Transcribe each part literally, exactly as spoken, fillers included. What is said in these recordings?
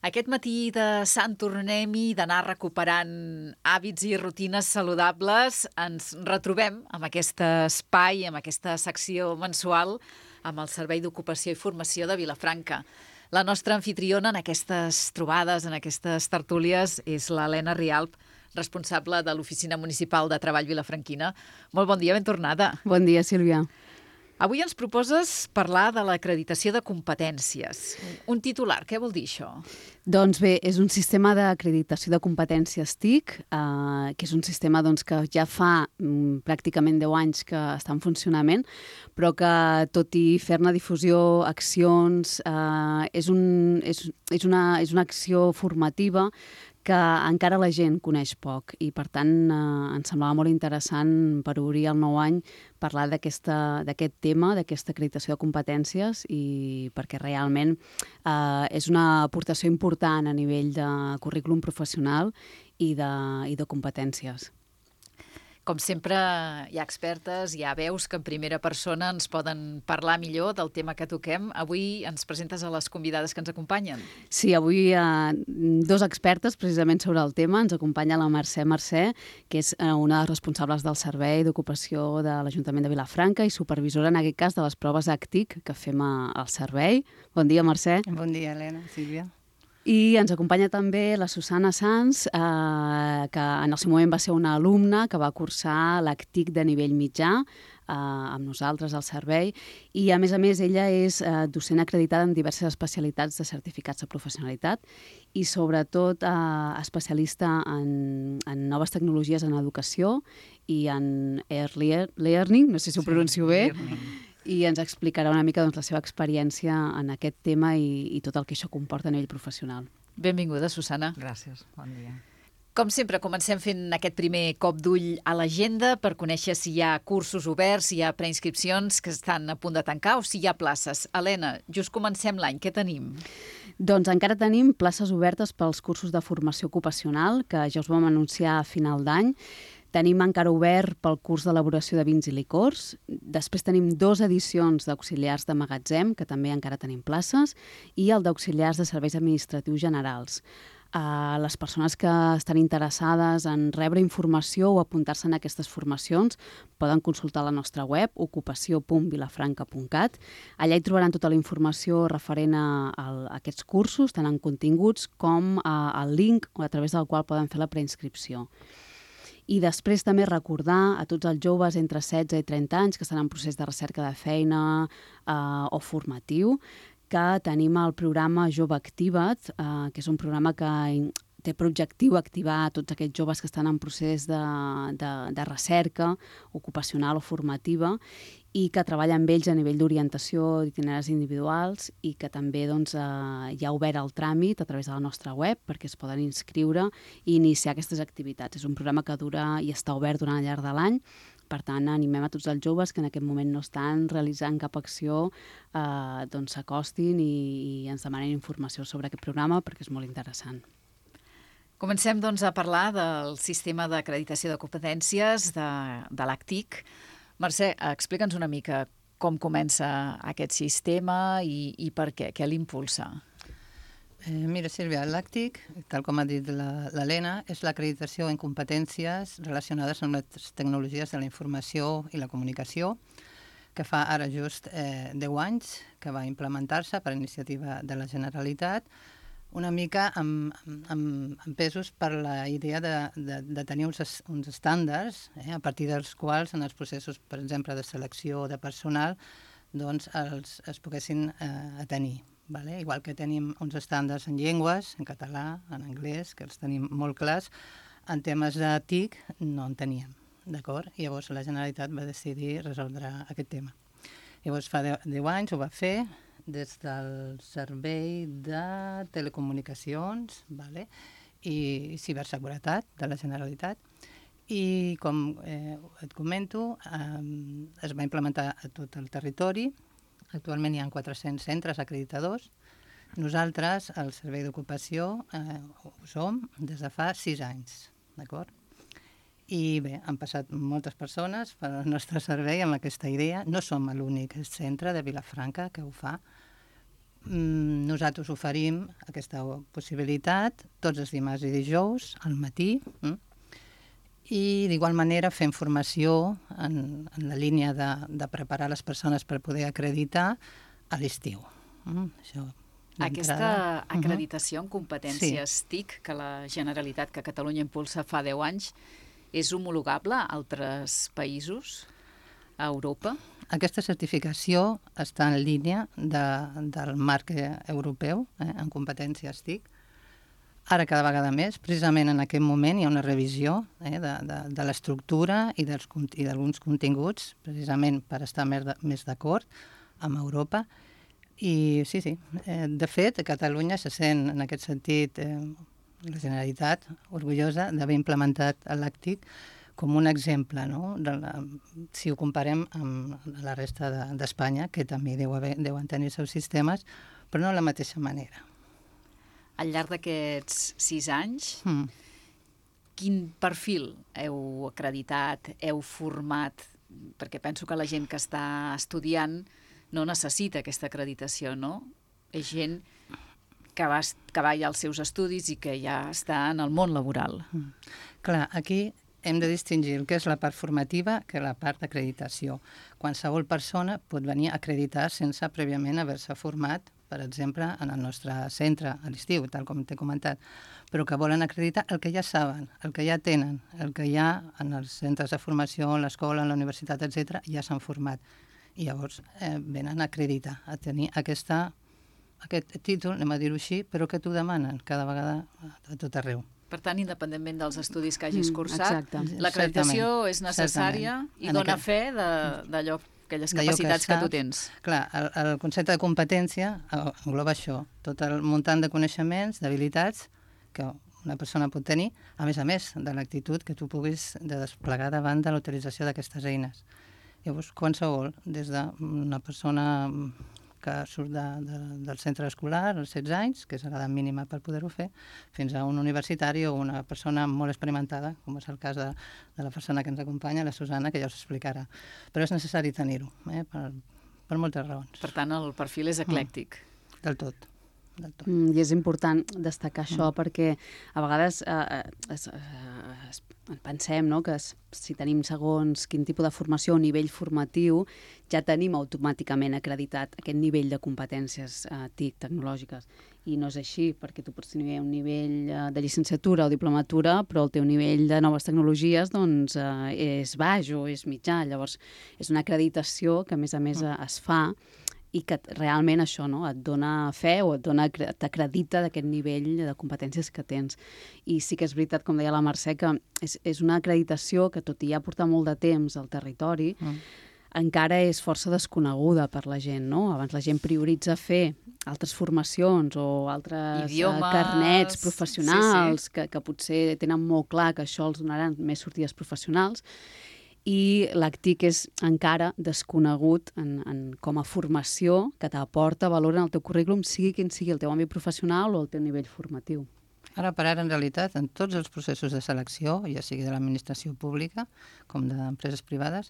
Aquest matí de Sant Tornem-hi, d'anar recuperant hàbits i rutines saludables, ens retrobem amb aquest espai, amb aquesta secció mensual, amb el Servei d'Ocupació i Formació de Vilafranca. La nostra anfitriona en aquestes trobades, en aquestes tertúlies, és l'Helena Rialp, responsable de l'Oficina Municipal de Treball Vilafranquina. Molt bon dia, ben tornada. Bon dia, Sílvia. Avui ens proposes parlar de l'acreditació de competències. Un titular, què vol dir això? Doncs bé, és un sistema d'acreditació de competències T I C, eh, que és un sistema doncs, que ja fa mm, pràcticament deu anys que està en funcionament, però que tot i fer-ne difusió, accions, eh, és, un, és, és, una, és una acció formativa que encara la gent coneix poc i, per tant, eh, ens semblava molt interessant per obrir el nou any parlar d'aquest tema, d'aquesta acreditació de competències, i perquè realment eh, és una aportació important a nivell de currículum professional i de, i de competències. Com sempre, hi ha expertes, hi ha veus que en primera persona ens poden parlar millor del tema que toquem. Avui ens presentes a les convidades que ens acompanyen. Sí, avui hi ha dos expertes precisament sobre el tema. Ens acompanya la Mercè Mercè, que és una de les responsables del Servei d'Ocupació de l'Ajuntament de Vilafranca i supervisora, en aquest cas, de les proves A C T I C que fem al servei. Bon dia, Mercè. Bon dia, Helena, Sílvia. I ens acompanya també la Susana Sanz, eh, que en el seu moment va ser una alumna que va cursar l'A C T I C de nivell mitjà eh, amb nosaltres al servei, i a més a més ella és eh, docent acreditada en diverses especialitats de certificats de professionalitat i sobretot eh, especialista en, en noves tecnologies en educació i en early learning, no sé si ho pronuncio sí, bé, learning. I ens explicarà una mica doncs, la seva experiència en aquest tema i, i tot el que això comporta a nivell professional. Benvinguda, Susana. Gràcies, bon dia. Com sempre, comencem fent aquest primer cop d'ull a l'agenda per conèixer si hi ha cursos oberts, si hi ha preinscripcions que estan a punt de tancar o si hi ha places. Helena, just comencem l'any, què tenim? Doncs encara tenim places obertes pels cursos de formació ocupacional, que ja us vam anunciar a final d'any. Tenim encara obert pel curs d'elaboració de vins i licors. Després tenim dues edicions d'auxiliars de magatzem, que també encara tenim places, i el d'auxiliars de serveis administratius generals. Uh, les persones que estan interessades en rebre informació o apuntar-se en aquestes formacions poden consultar la nostra web, ocupació punt vilafranca punt cat. Allà hi trobaran tota la informació referent a, a aquests cursos, tant en continguts com a, al link a través del qual poden fer la preinscripció. I després també recordar a tots els joves entre setze i trenta anys que estan en procés de recerca de feina eh, o formatiu, que tenim el programa Jove Activa't, eh, que és un programa que té per objectiu activar tots aquests joves que estan en procés de, de, de recerca ocupacional o formativa i que treballa amb ells a nivell d'orientació d'itineraris individuals, i que també doncs, eh, hi ha obert el tràmit a través de la nostra web perquè es poden inscriure i iniciar aquestes activitats. És un programa que dura i està obert durant el llarg de l'any. Per tant, animem a tots els joves que en aquest moment no estan realitzant cap acció, eh, doncs s'acostin i, i ens demanen informació sobre aquest programa perquè és molt interessant. Comencem doncs, a parlar del sistema d'acreditació de competències de, de l'A C T I C. Mercè, explica'ns una mica com comença aquest sistema i, i per què, què l'impulsa. Eh, mira, Sílvia, l'A C T I C, tal com ha dit l'Helena, és l'acreditació en competències relacionades amb les tecnologies de la informació i la comunicació, que fa ara just eh, deu anys que va implementar-se per iniciativa de la Generalitat, una mica amb, amb, amb pesos per la idea de, de, de tenir uns, uns estàndards, eh, a partir dels quals en els processos, per exemple, de selecció de personal, doncs els, es poguessin eh, tenir. Vale? Igual que tenim uns estàndards en llengües, en català, en anglès, que els tenim molt clars, en temes de T I C no en teníem, d'acord? I llavors la Generalitat va decidir resoldre aquest tema. Llavors fa deu anys ho va fer, des del Servei de Telecomunicacions, vale? I Ciberseguretat de la Generalitat. I, com eh, et comento, eh, es va implementar a tot el territori. Actualment hi ha quatre-cents centres acreditadors. Nosaltres, al Servei d'Ocupació, eh, ho som des de fa sis anys, d'acord? I bé, han passat moltes persones pel nostre servei amb aquesta idea. No som l'únic centre de Vilafranca que ho fa, nosaltres oferim aquesta possibilitat tots els dimarts i dijous al matí, i d'igual manera fem formació en, en la línia de, de preparar les persones per poder acreditar a l'estiu. Això, aquesta acreditació en competències Sí. T I C que la Generalitat, que Catalunya impulsa fa deu anys, és homologable a altres països, a Europa? Aquesta certificació està en línia de, del marc europeu eh, en competències T I C. Ara cada vegada més, precisament en aquest moment hi ha una revisió eh, de, de, de l'estructura i dels i d'alguns continguts, precisament per estar més, de, més d'acord amb Europa. I sí, sí, eh, de fet, Catalunya se sent en aquest sentit eh, la Generalitat orgullosa d'haver implementat l'A C T I C com un exemple, no? De la, si ho comparem amb la resta d'Espanya, de, que també deu haver, deuen tenir els seus sistemes, però no de la mateixa manera. Al llarg d'aquests sis anys, Mm. quin perfil heu acreditat, heu format? Perquè penso que la gent que està estudiant no necessita aquesta acreditació, no? És gent que va, que va ja als seus estudis i que ja està en el món laboral. Mm. Clar, aquí hem de distingir el que és la part formativa que la part d'acreditació. Qualsevol persona pot venir a acreditar sense prèviament haver-se format, per exemple, en el nostre centre a l'estiu, tal com t'he comentat, però que volen acreditar el que ja saben, el que ja tenen, el que ja en els centres de formació, a l'escola, a la universitat, etcètera, ja s'han format. I llavors eh, venen a acreditar, a tenir aquesta, aquest títol, anem a dir-ho així, però que t'ho demanen cada vegada a tot arreu. Per tant, independentment dels estudis que hagis Mm, cursat, exacte. l'acreditació Certament, és necessària certament. i En dona aquest- fe de- d'allò, aquelles D'allò que capacitats que, saps. tu tens. Clar, el, el concepte de competència engloba això, tot el muntant de coneixements, d'habilitats que una persona pot tenir, a més a més de l'actitud que tu puguis de desplegar davant de l'utilització d'aquestes eines. Llavors, qualsevol, des d'una persona que surt de, de, del centre escolar als setze anys, que és l'edat mínima per poder-ho fer, fins a un universitari o una persona molt experimentada, com és el cas de, de la persona que ens acompanya, la Susana, que ja us explicarà. Però és necessari tenir-ho, eh, per, per moltes raons. Per tant, el perfil és eclèctic. Mm. Del tot. Del tot. Mm, I és important destacar això mm. perquè a vegades eh, es, eh, es, pensem, no?, que es, si tenim segons quin tipus de formació o nivell formatiu ja tenim automàticament acreditat aquest nivell de competències eh, T I C tecnològiques. I no és així, perquè tu pots tenir un nivell eh, de llicenciatura o diplomatura, però el teu nivell de noves tecnologies doncs, eh, és baix o és mitjà. Llavors, és una acreditació que, a més a més, mm. es fa i que realment això, no?, et dona fe o et dona, t'acredita d'aquest nivell de competències que tens. I sí que és veritat, com deia la Mercè, que és, és una acreditació que, tot i ja portar molt de temps al territori, mm. encara és força desconeguda per la gent, no? Abans la gent prioritza fer altres formacions o altres idiomes, carnets professionals, sí, sí. Que, que potser tenen molt clar que això els donaran més sortides professionals, i l'A C T I C és encara desconegut en, en, com a formació que t'aporta valor en el teu currículum, sigui quin sigui el teu àmbit professional o el teu nivell formatiu. Ara per ara, en realitat, en tots els processos de selecció, ja sigui de l'administració pública com d'empreses privades,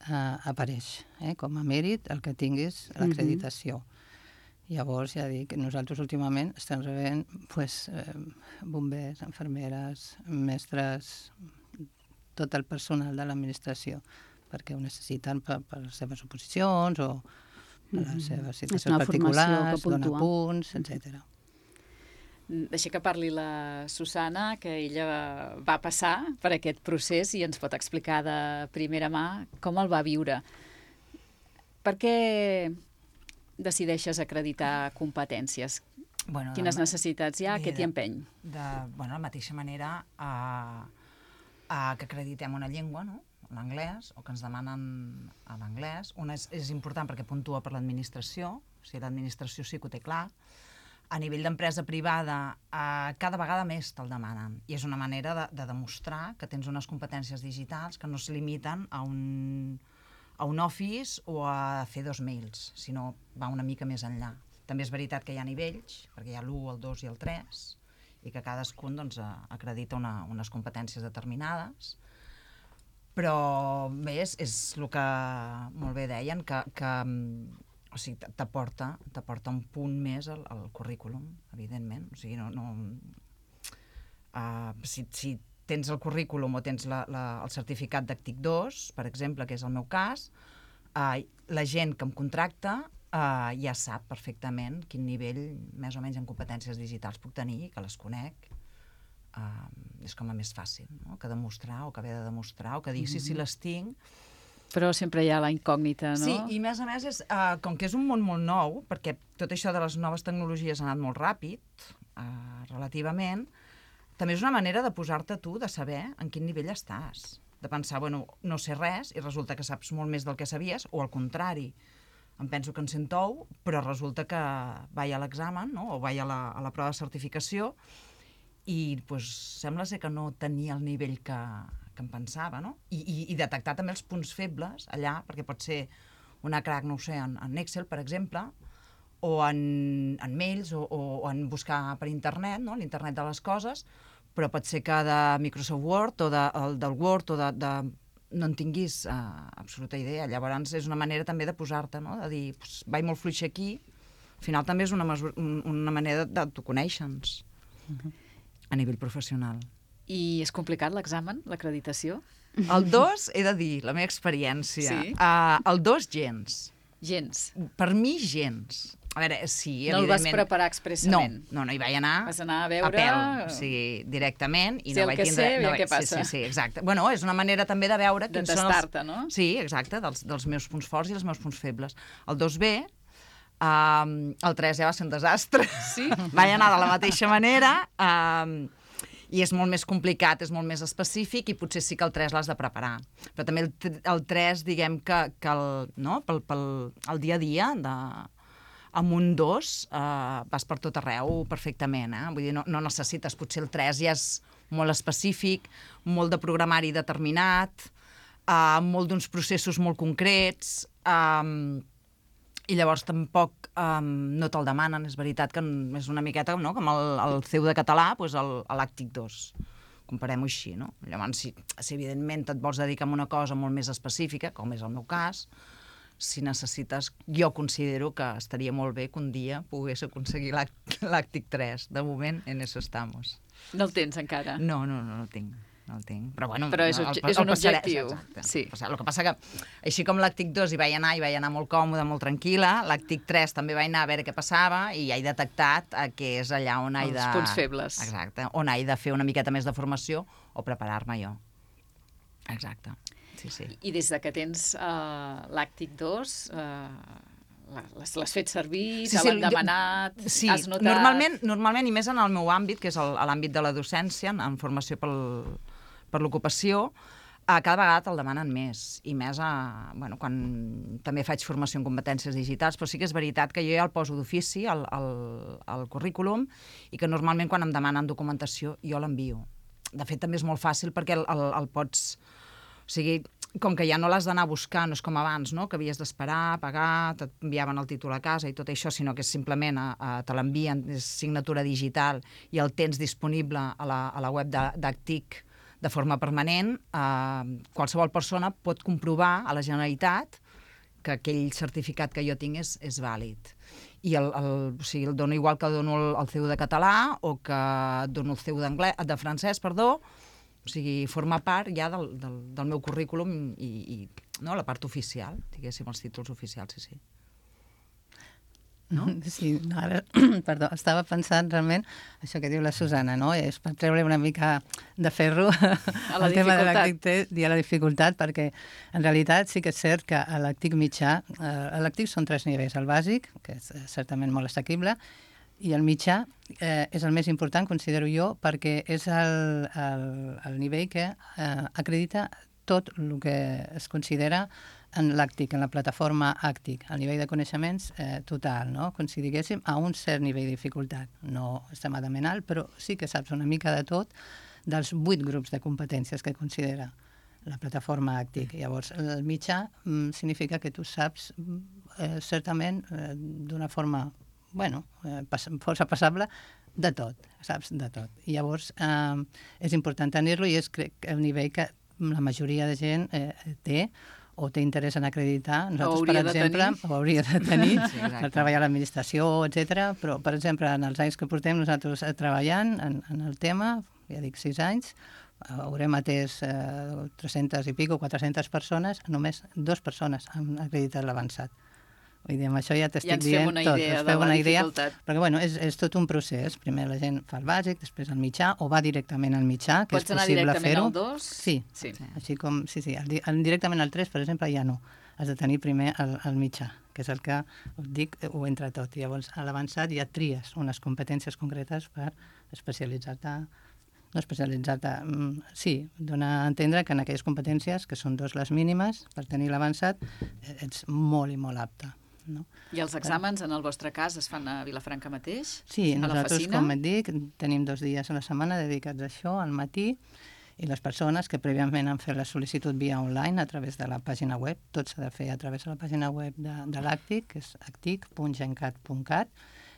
eh, apareix eh, com a mèrit el que tinguis l'acreditació. Mm-hmm. Llavors, ja dic, nosaltres últimament estem rebent pues, eh, bombers, infermeres, mestres, tot el personal de l'administració, perquè ho necessiten per, per les seves oposicions o per les seves situacions particulars, donar punts, etcètera. Deixa que parli la Susana, que ella va passar per aquest procés i ens pot explicar de primera mà com el va viure. Per què decideixes acreditar competències? Bueno, Quines necessitats hi ha? Què t'hi empeny? De, bueno, la mateixa manera a, a que acreditem una llengua, no?, l'anglès, o que ens demanen a l'anglès. Una és, és important perquè puntua per l'administració, o sigui, l'administració sí que ho té clar. A nivell d'empresa privada, eh, cada vegada més te'l demanen. I és una manera de, de demostrar que tens unes competències digitals que no es limiten a un, a un Office o a fer dos mails, sinó va una mica més enllà. També és veritat que hi ha nivells, perquè hi ha l'u, el dos i el tres, i que cadascun doncs, acredita una, unes competències determinades. Però bé, és, és el que molt bé deien, que, que o o sigui, t'aporta, t'aporta un punt més al, al currículum, evidentment. O sigui, no... no uh, si, si tens el currículum o tens la, la, el certificat d'Actic dos, per exemple, que és el meu cas, uh, la gent que em contracta uh, ja sap perfectament quin nivell, més o menys, en competències digitals puc tenir, que les conec. Uh, és com a més fàcil, no? Que demostrar, o que haver de demostrar, o que dir, mm-hmm. sí, sí, les tinc. Però sempre hi ha la incògnita, no? Sí, i a més a més, és, uh, com que és un món molt nou, perquè tot això de les noves tecnologies ha anat molt ràpid, uh, relativament, també és una manera de posar-te tu, de saber en quin nivell estàs. De pensar, bueno, no sé res, i resulta que saps molt més del que sabies, o al contrari, em penso que en sé tou, però resulta que vaig a l'examen, no? O vaig a la, a la prova de certificació, i pues, sembla ser que no tenia el nivell que, que em pensava, no? I, i, i detectar també els punts febles allà, perquè pot ser una crack, no ho sé, en, en Excel, per exemple, o en, en mails, o, o, o en buscar per internet, no? L'internet de les coses, però pot ser que de Microsoft Word o de, el, del Word o de, de... no en tinguis uh, absoluta idea. Llavors és una manera també de posar-te, no? De dir, pues, vaig molt fluix aquí, al final també és una, mesura, una manera d'autoconèixer-nos. Uh-huh. A nivell professional. I és complicat l'examen, l'acreditació? El dos, he de dir, la meva experiència. Sí? Uh, el dos, gens. Gens. Per mi, gens. A veure, sí, no evidentment... No el vas preparar expressament? No, no, no hi vaig anar... Vas anar a veure... A pèl, o sigui, directament. I sí, no el vaig que tindre... sé, no vaig... què passa. Sí, sí, sí, exacte. Bueno, és una manera també de veure... De tastar-te, els... no? Sí, exacte, dels, dels meus punts forts i els meus punts febles. El dos B... Um, el tres ja va ser un desastre. Sí? Vaig anar de la mateixa manera, um, i és molt més complicat, és molt més específic, i potser sí que el tres l'has de preparar. Però també el, el tres, diguem que, que el, no? pel, pel el dia a dia, de, amb un dos, uh, vas per tot arreu perfectament. Eh? Vull dir, no, no necessites, potser el tres ja és molt específic, molt de programari determinat, uh, molt d'uns processos molt concrets... Um, i llavors tampoc um, no te'l demanen, és veritat que és una miqueta, no?, com el, el C E U de català, doncs l'Àctic dos, comparem-ho així, no? Llavors, si, si evidentment et vols dedicar a una cosa molt més específica, com és el meu cas, si necessites, jo considero que estaria molt bé que un dia pogués aconseguir l'Àctic tres. De moment, en eso estamos. No el tens encara? No, no, no, no el tinc. No el tinc. Però, bueno, Però és, el, el, és un el passaré, objectiu. Exacte. Sí. El que passa que, així com l'Àctic dos hi vaig anar, i vaig anar molt còmode, molt tranquil·la, l'Àctic tres també vaig anar a veure què passava, i ja he detectat eh, que és allà on he de... Els punts febles. Exacte. On he de fer una miqueta més de formació o preparar-me jo. Exacte. Sí, sí. I des de que tens uh, l'Àctic dos... Uh... Les, les fet servir, sí, te sí, l'han demanat, sí, has notat... Normalment, normalment, i més en el meu àmbit, que és el, l'àmbit de la docència, en, en formació pel, per l'ocupació, a cada vegada te'l demanen més, i més a, bueno, quan també faig formació en competències digitals, però sí que és veritat que jo ja el poso d'ofici al, al, al currículum, i que normalment quan em demanen documentació jo l'envio. De fet, també és molt fàcil perquè el, el, el pots... O sigui, com que ja no l'has d'anar a buscar, no és com abans, no?, que havies d'esperar, pagar, t'enviaven el títol a casa i tot això, sinó que simplement a, a, te l'envien, és signatura digital, i el tens disponible a la, a la web d'Actic de forma permanent. Eh, qualsevol persona pot comprovar a la Generalitat que aquell certificat que jo tinc és, és vàlid. I el, el, o sigui, el dono igual que dono el, el C E U de català o que dono el C E U d'anglès, de francès, perdó. O sigui, forma part ja del, del, del meu currículum i, i no, la part oficial, diguéssim, els títols oficials, sí, sí. No? Sí, no, ara, perdó, estava pensant realment això que diu la Susana, no? És per treure una mica de ferro al tema de l'Àctic i a la dificultat, perquè en realitat sí que és cert que a l'Àctic mitjà, a l'Àctic són tres nivells, el bàsic, que és certament molt assequible, i el mitjà eh, és el més important, considero jo, perquè és el, el, el nivell que eh, acredita tot el que es considera en l'Àctic, en la plataforma Àctic, el nivell de coneixements eh, total, no? Com si diguéssim, a un cert nivell de dificultat. No extremadament alt, però sí que saps una mica de tot dels vuit grups de competències que considera la plataforma Àctic. Llavors, el mitjà mm, significa que tu saps eh, certament eh, d'una forma bueno, eh, força passable, de tot, saps? De tot. I llavors eh, és important tenir-lo i és crec el nivell que la majoria de gent eh, té o té interès en acreditar. Nosaltres, hauria per de exemple, tenir. o hauria de tenir, Sí, exacte. per treballar a l'administració, etcètera. Però, per exemple, en els anys que portem nosaltres treballant en, en el tema, ja dic sis anys, haurem atès eh, tres-centes i pico, quatre-centes persones, només dues persones han acreditat l'avançat. Vull dir, amb això ja t'estic Ja ens dient fem una tot. idea Us de feu la una idea, dificultat. perquè bueno, és, és tot un procés. Primer la gent fa el bàsic, després el mitjà, o va directament al mitjà, que Pots és anar possible directament fer-ho. al dos? Sí, Sí. així com, sí, sí, el, di- el, directament al tres, per exemple, ja no. Has de tenir primer el, el mitjà, que és el que us dic, ho entra tot. I llavors, a l'avançat ja tries unes competències concretes per especialitzar-te, no especialitzar-te, mm, sí, donar a entendre que en aquelles competències, que són dos les mínimes, per tenir l'avançat, eh, ets molt i molt apte. No? I els exàmens, en el vostre cas, es fan a Vilafranca mateix? Sí, a la nosaltres, Facina? com et dic, tenim dos dies a la setmana dedicats a això, al matí, i les persones que prèviament han fet la sol·licitud via online a través de la pàgina web, tot s'ha de fer a través de la pàgina web de, de l'Actic, que és actic punt gencat punt cat,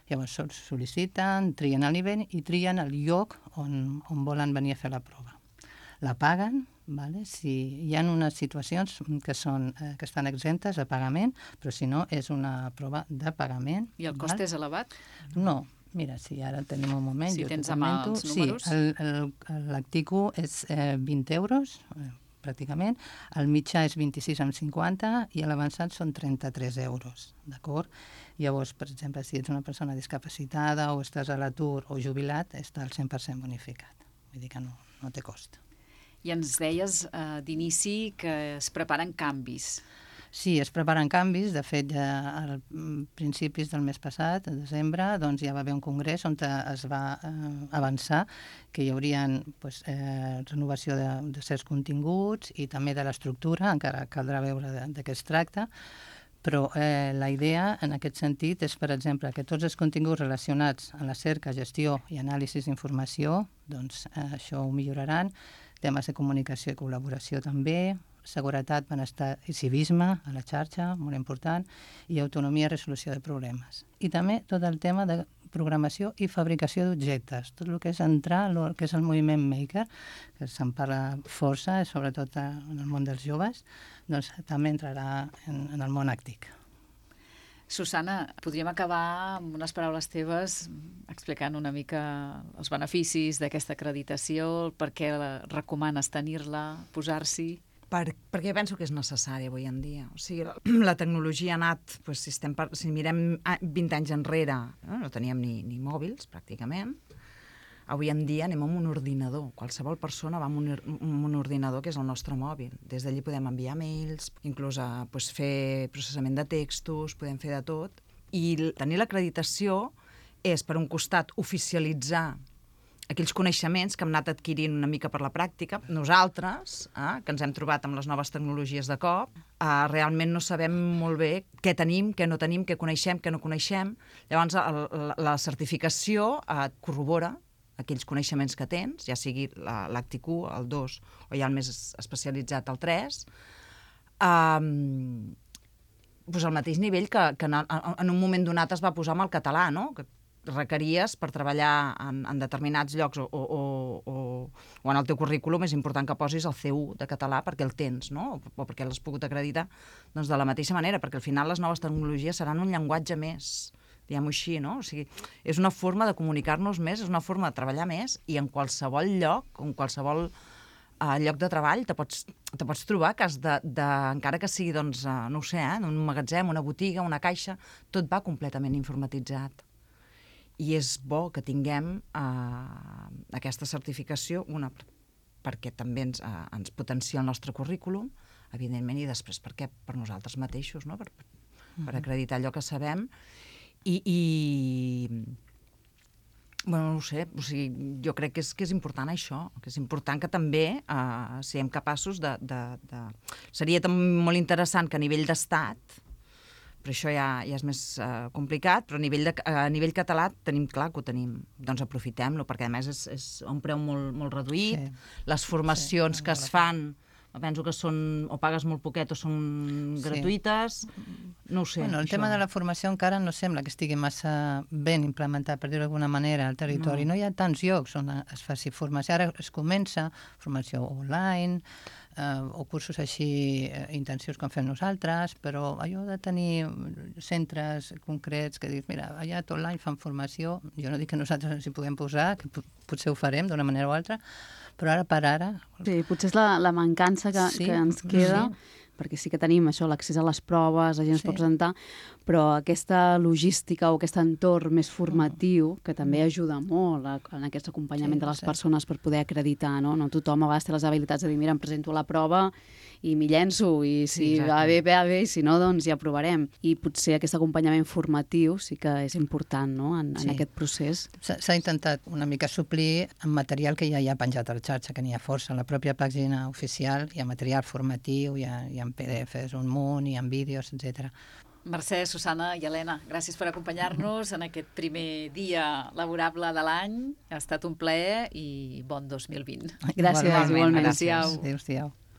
llavors sol- sol·liciten, trien el nivell i trien el lloc on, on volen venir a fer la prova. La paguen, vale? Si hi ha unes situacions que, són, eh, que estan exemptes de pagament, però si no és una prova de pagament. I el cost val? és elevat? No, mira, si ara tenim un moment, Si jo tens t'ho a mà comento. els números. Sí, el- el- l'Actico és eh, vint euros, eh, pràcticament, el mitjà és vint-i-sis coma cinquanta i l'avançat són trenta-tres euros, d'acord? Llavors, per exemple, si ets una persona discapacitada o estàs a l'atur o jubilat, està al cent per cent bonificat. Vull dir que no, no té cost. I ens deies eh, d'inici que es preparen canvis. Sí, es preparen canvis. De fet, ja a principis del mes passat, a desembre, doncs ja va haver un congrés on es va eh, avançar que hi hauria pues, eh, renovació de, de certs continguts i també de l'estructura, encara caldrà veure de, de què es tracta, però eh, la idea en aquest sentit és, per exemple, que tots els continguts relacionats amb la cerca, gestió i anàlisi d'informació, doncs eh, això ho milloraran, temes de comunicació i col·laboració també, seguretat, benestar i civisme a la xarxa, molt important, i autonomia i resolució de problemes. I també tot el tema de programació i fabricació d'objectes, tot el que és entrar, el que és el moviment maker, que se'n parla força, sobretot en el món dels joves, doncs també entrarà en, en el món àctic. Susana, podríem acabar amb unes paraules teves explicant una mica els beneficis d'aquesta acreditació, per què la recomanes tenir-la, posar-s'hi? Per, perquè penso que és necessari avui en dia. O sigui, la, la tecnologia ha anat, doncs, si, estem per, si mirem vint anys enrere, no, no teníem ni, ni mòbils, pràcticament. Avui en dia anem amb un ordinador. Qualsevol persona va amb un, amb un ordinador que és el nostre mòbil. Des d'allí podem enviar mails, inclús a, doncs, fer processament de textos, podem fer de tot. I tenir l'acreditació és, per un costat, oficialitzar aquells coneixements que hem anat adquirint una mica per la pràctica. Nosaltres, eh, que ens hem trobat amb les noves tecnologies de cop, eh, realment no sabem molt bé què tenim, què no tenim, què coneixem, què no coneixem. Llavors, el, la, la certificació eh, corrobora aquells coneixements que tens, ja sigui l'Actic u, el dos, o ja el més especialitzat, el tres, um, doncs al mateix nivell que, que en, en un moment donat es va posar amb el català, no? Que requeries per treballar en, en determinats llocs o, o, o, o en el teu currículum és important que posis el C u de català perquè el tens, no? O, o perquè l'has pogut acreditar doncs de la mateixa manera, perquè al final les noves tecnologies seran un llenguatge més, diguem-ho així, no? O sigui, és una forma de comunicar-nos més, és una forma de treballar més i en qualsevol lloc, en qualsevol uh, lloc de treball te pots, te pots trobar que has de, de, encara que sigui, doncs, uh, no ho sé, eh, en un magatzem, una botiga, una caixa, tot va completament informatitzat. I és bo que tinguem uh, aquesta certificació, una, perquè també ens, uh, ens potencia el nostre currículum, evidentment, i després perquè per nosaltres mateixos, no? per, per acreditar allò que sabem. I, i bueno, no ho sé, o sigui, jo crec que és, que és important això, que és important que també uh, siguem capaços de, de, de... Seria molt interessant que a nivell d'estat, però això ja, ja és més uh, complicat, però a nivell, de, a nivell català tenim clar que ho tenim, doncs aprofitem-lo, perquè a més és, és a un preu molt, molt reduït, sí. Les formacions sí, que es fan penso que són, o pagues molt poquet o són Sí. gratuïtes, no ho sé. Bueno, el això. tema de la formació encara no sembla que estigui massa ben implementat, per dir-ho d'alguna manera, al territori. No. no hi ha tants llocs on es faci formació. Ara es comença formació online, eh, o cursos així eh, intensius com fem nosaltres, però allò de tenir centres concrets que dius, mira, allà tot l'any fan formació, jo no dic que nosaltres ens hi puguem posar, que potser ho farem d'una manera o altra, però ara per ara... Sí, potser és la, la mancança que, Sí, que ens queda, sí. perquè sí que tenim això, l'accés a les proves, la gent es Sí. pot presentar, però aquesta logística o aquest entorn més formatiu, que també ajuda molt a, en aquest acompanyament Sí, de les sí. persones per poder acreditar, no? No tothom a vegades té les habilitats de dir, mira, em presento a la prova i m'hi llenço, i si Sí, va exacte. bé, va bé, i si no, doncs ja provarem. I potser aquest acompanyament formatiu sí que és important, no?, en, en Sí. aquest procés. S'ha s'ha intentat una mica suplir amb material que ja hi ha penjat a la xarxa, que n'hi ha força. A la pròpia pàgina oficial hi ha material formatiu, hi ha, hi ha P D Fs un munt, hi ha vídeos, etcètera. Mercè, Susana i Helena, gràcies per acompanyar-nos en aquest primer dia laborable de l'any. Ha estat un plaer i bon dos mil vint. Gràcies, Igualment, igualment. gràcies. Adéu-siau. Adéu-siau.